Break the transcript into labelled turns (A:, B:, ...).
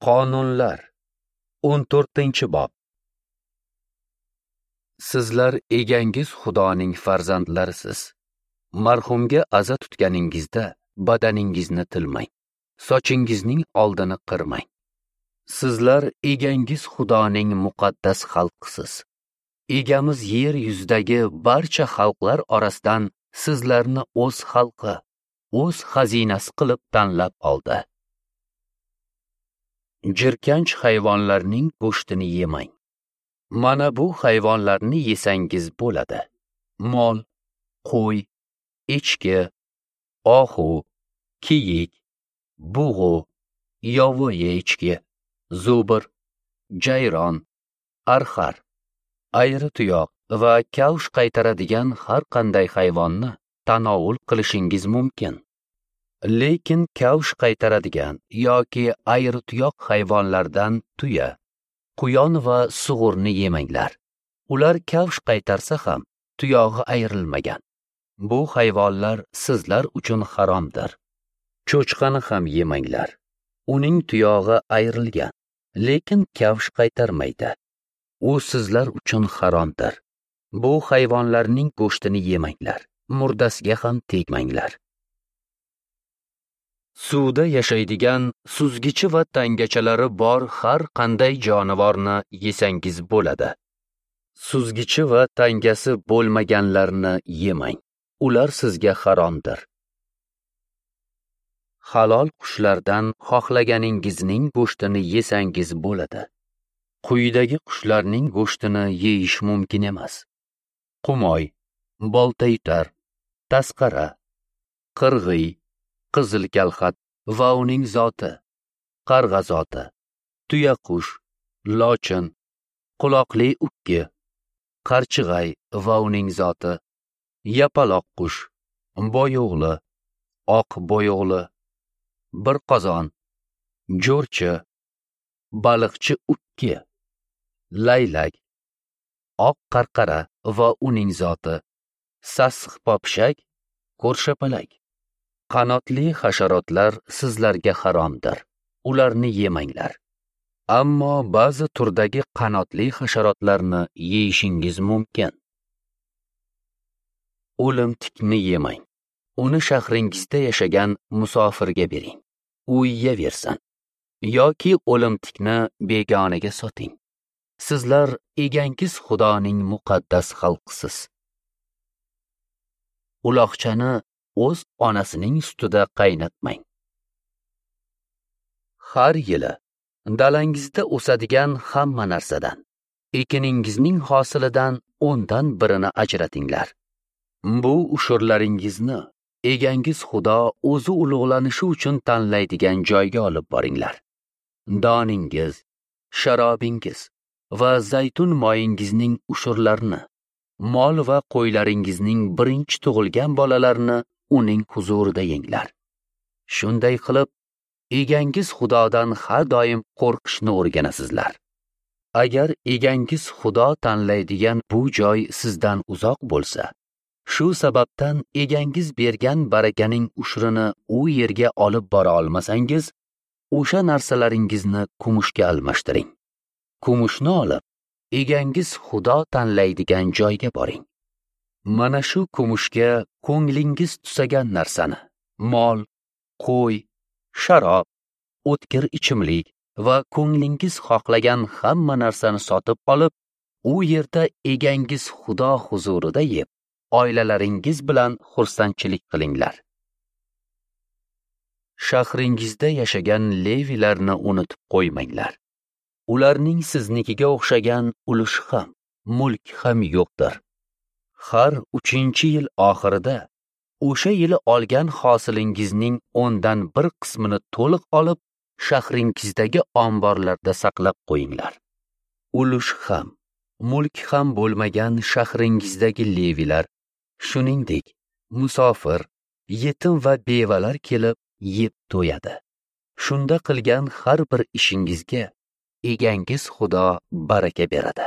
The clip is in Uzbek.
A: Qonunlar 14-bob. Sizlar egangiz Xudoning farzandlarisiz. Marhumga aza tutganingizda badaningizni tilmang, sochingizning oldini qirmang. Sizlar egangiz Xudoning muqaddas xalqisiz. Egamiz yer yuzidagi barcha xalqlar orasidan sizlarni o'z xalqi, o'z xazinasi qilib tanlab oldi. Jirkanch hayvonlarning go'shtini yemang. Mana bu hayvonlarni yesangiz bo'ladi: mol, qo'y, echki, ohu, kiyik, bug'u, yovvoyi echki, zubr, jayron, arxar, ayri tuyoq va kavsh qaytaradigan har qanday hayvonni tanovul qilishingiz mumkin. Lekin kavsh qaytaradigan yoki ayri tuyoq hayvonlardan tuya, quyon va sug'urni yemanglar. Ular kavsh qaytarsa ham tuyog'i ayrilmagan. Bu hayvonlar sizlar uchun haromdir. Cho'chqani ham yemanglar. Uning tuyog'i ayrilgan, lekin kavsh qaytarmaydi. U sizlar uchun haromdir. Bu hayvonlarning go'shtini yemanglar, murdasiga ham tegmanglar. Suvda yashaydigan suzgichi va tangachalari bor har qanday jonivorni yesangiz bo'ladi. Suzgichi va tangasi bo'lmaganlarni yemang. Ular sizga haromdir. Halol qushlardan xohlaganingizning go'shtini yesangiz bo'ladi. Quyidagi qushlarning go'shtini yeyish mumkin emas: qumoy, boltayutar, tasqara, qirg'iy, qizil kalxat va uning zoti, qarg'a zoti, tuyaqush, lochin, quloqli ukki, qarchig'ay va uning zoti, yapaloq qush, boyo'g'li, oq boyo'g'li, bir qozon, jo'rchi, baliqchi ukki, laylak, oq qarqara va uning zoti, sassiq popshak, ko'rshapalak. Qanotli hasharotlar sizlarga haromdir. Ularni yemanglar. Ammo ba'zi turdagi qanotli hasharotlarni yeyishingiz mumkin. O'limtikni yemang. Uni shahringizda yashagan musofirga bering. U yeyaversin. Yoki o'limtikni begonaga soting. Sizlar egangiz Xudoning muqaddas xalqisiz. Uloqchani o'z onasining sutida qaynatmang. Har yili dalangizda o'sadigan hamma narsadan, ekiningizning hosilidan 10dan birini ajratinglar. Bu ushurlaringizni egangiz Xudo o'zi ulug'lanishi uchun tanlaydigan joyga olib boringlar. Doningiz, sharobingiz va zaytun moyingizning ushurlarini, mol va qo'ylaringizning birinchi tug'ilgan bolalarini uning huzurida yenglar. Shunday qilib, egangiz Xudodan har doim qo'rqishni o'rganasizlar. Agar egangiz Xudo tanlaydigan bu joy sizdan uzoq bo'lsa, shu sababdan egangiz bergan barakaning ushrini u yerga olib bora olmasangiz, o'sha narsalaringizni kumushga almashtiring. Kumushni olib, egangiz Xudo tanlaydigan joyga boring. Mana shu kumushga ko'nglingiz tusagan narsani, mol, qo'y, sharob, o'tkir ichimlik va ko'nglingiz xohlagan hamma narsani sotib olib, u yerda egangiz Xudo huzurida yeb, oilalaringiz bilan xursandchilik qilinglar. Shahringizda yashagan levilarni unutib qo'ymanglar. Ularning siznikiga o'xshagan ulushi ham, mulk ham yo'qdir. Har 3-yil oxirida o'sha yili olgan hosilingizning 10dan 1 qismini to'liq olib, shahringizdagi omborlarda saqlab qo'yinglar. Ulush ham, mulk ham bo'lmagan shahringizdagi levilar, shuningdek, musofir, yetim va bevalar kelib yeb to'yadi. Shunda qilgan har bir ishingizga egangiz Xudo baraka beradi.